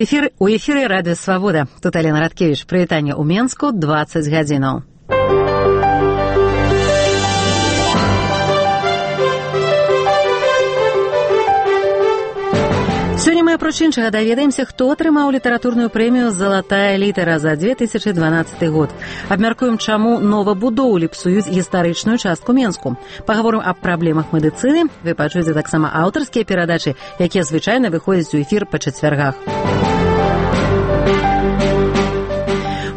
У эфіры радыё Свабода. Тут Алена Радкевіч. Прывітанне ў Менску, 20 гадзінаў. Сёння мы, апроч іншага, даведаемся, хто атрымаў літаратурную прэмію «Залатая літара» за 2012 год. Абмяркуем, чаму новабудоўлі псуюць гістарычную частку Менску. Пагаворым аб праблемах медыцыны. Вы пачуеце таксама аўтарскія перадачы, якія звычайна выходзяць у эфір па чацвяргах.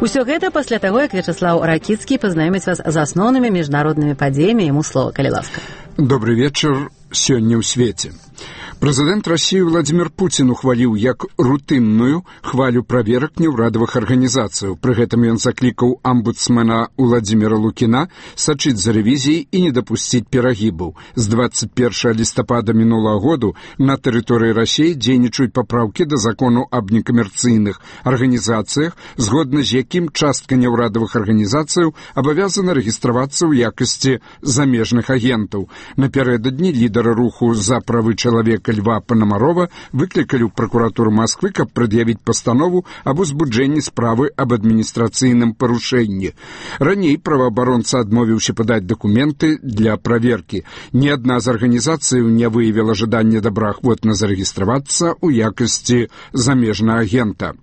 Усё гэта пасля таго, як Вячаслаў Ракіцкі пазнаёміць вас з асноўнымі міжнароднымі падзеямі. Яму слова, калі ласка. Добрый вечар. Сёння ў свеце. Прэзідэнт Расіі Владзімір Пуцін ухваліў як рутынную хвалю праверак неўрадавых арганізацыяў. Пры гэтым ён заклікаў амбудсмена Владзіміра Лукіна сачыць за рэвізіяй і не дапусціць перагібаў. З 21 лістапада мінулага году на тэрыторыі Расіі дзейнічаюць папраўкі да закону аб некамерцыйных арганізацыях, згодна з якім частка неўрадавых арганізацыяў абавязана рэгістравацца ў якасці замежных агентаў. Напярэдадні лідары руху за правы чалавека Льва Панамарова выклікалі ў пракуратуру Масквы, каб прад'явіць пастанову аб узбуджэнні справы аб адміністрацыйным парушэнні. Раней праваабаронца адмовіўся падаць дакументы для праверкі. Ні адна з арганізацыяў не выявіла жаданне добраахвотна зарэгістравацца ў якасці замежнага агента.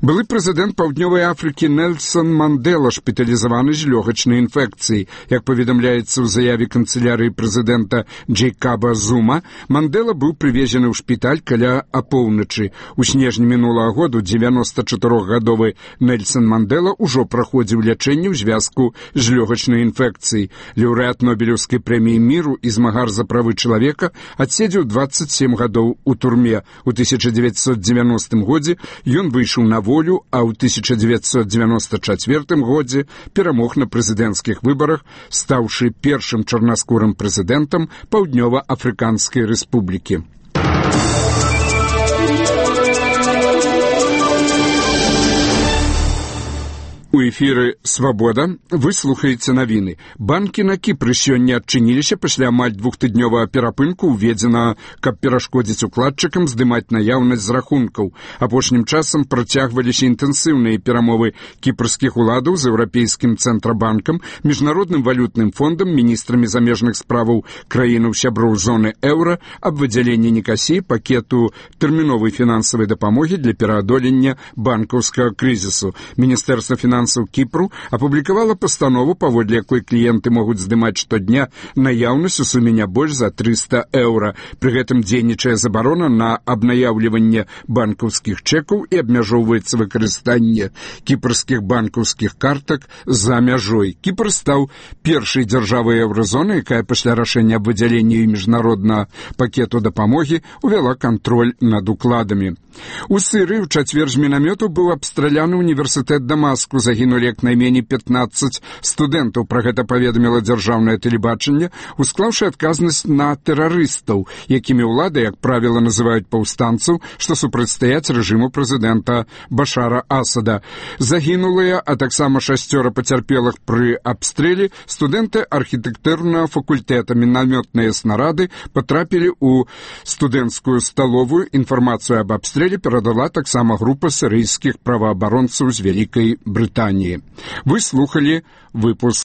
Былы прэзідэнт Паўднёвай Афрыкі Нельсон Мандела шпіталізаваны з лёгачнай інфекцыяй. Як паведамляецца ў заяве канцылярыі прэзідэнта Джейкаба Зума, Мандела быў прывезены ў шпіталь каля апоўначы. У снежні мінулага году 94-гадовы Нельсон Мандела ўжо праходзіў лячэнне ў звязку з лёгачнай інфекцыяй. Лаўрэат Нобелеўскай прэміі міру і змагар за правы чалавека адседзеў 27 гадоў у турме. У 1990 годзе ён выйшаў на волю, а ў 1994 годзе перамог на прэзідэнцкіх выбарах, стаўшы першым чарнаскурым прэзідэнтам Паўднёва-Афрыканскай рэспублікі. У эфіры «Свабода» вы слухаеце навіны. Банкі на Кіпры сёння адчыніліся пасля амаль двухтыднёвага перапынку, уведзена, каб перашкодзіць укладчыкам здымаць наяўнасць з рахункаў. Апошнім часам працягваліся інтэнсіўныя перамовы кіпрскіх уладаў з Еўрапейскім цэнтрабанкам, Міжнародным валютным фондам, міністрамі замежных справаў краінаў сяброў зоны еўра аб выдзяленні Нікасіі пакету тэрміновай фінансавай дапамогі для пераадолення банкаўскага крызісу. Міністэрства фінансаў Кіпру апублікавала пастанову, паводле якой кліенты могуць здымаць штодня наяўнасць у суме не больш за 300 еўра. Пры гэтым дзейнічае забарона на абнаяўліванне банкаўскіх чэкаў і абмяжоўваецца выкарыстанне кіпрскіх банкаўскіх картак за мяжой. Кіпр стаў першай дзяржавай еўразоны, якая пасля рашэння аб выдзяленні міжнароднага пакету дапамогі увяла кантроль над укладамі. У Сырыі ў чацвер з мінамёту быў абстраляны універсітэт Дамаску. Загінулі як найменей 15 студэнтаў. Пра гэта паведаміла дзяржаўнае тэлебачанне, усклаўшы адказнасць на тэрарыстаў, якімі ўлады, як правіла, называюць паўстанцаў, што супрацьстаяць рэжыму прэзідэнта Башара Асада. Загінулыя, а таксама 6 пацярпелых пры абстрэле студэнты архітэктурнага факультэта. Мінамётныя снарады патрапілі ў студэнцкую сталовую. Інфармацыю аб абстрэле перадала таксама група сірыйскіх праваабаронцаў з Вялікай Брытаніі. Вы слухалі выпуск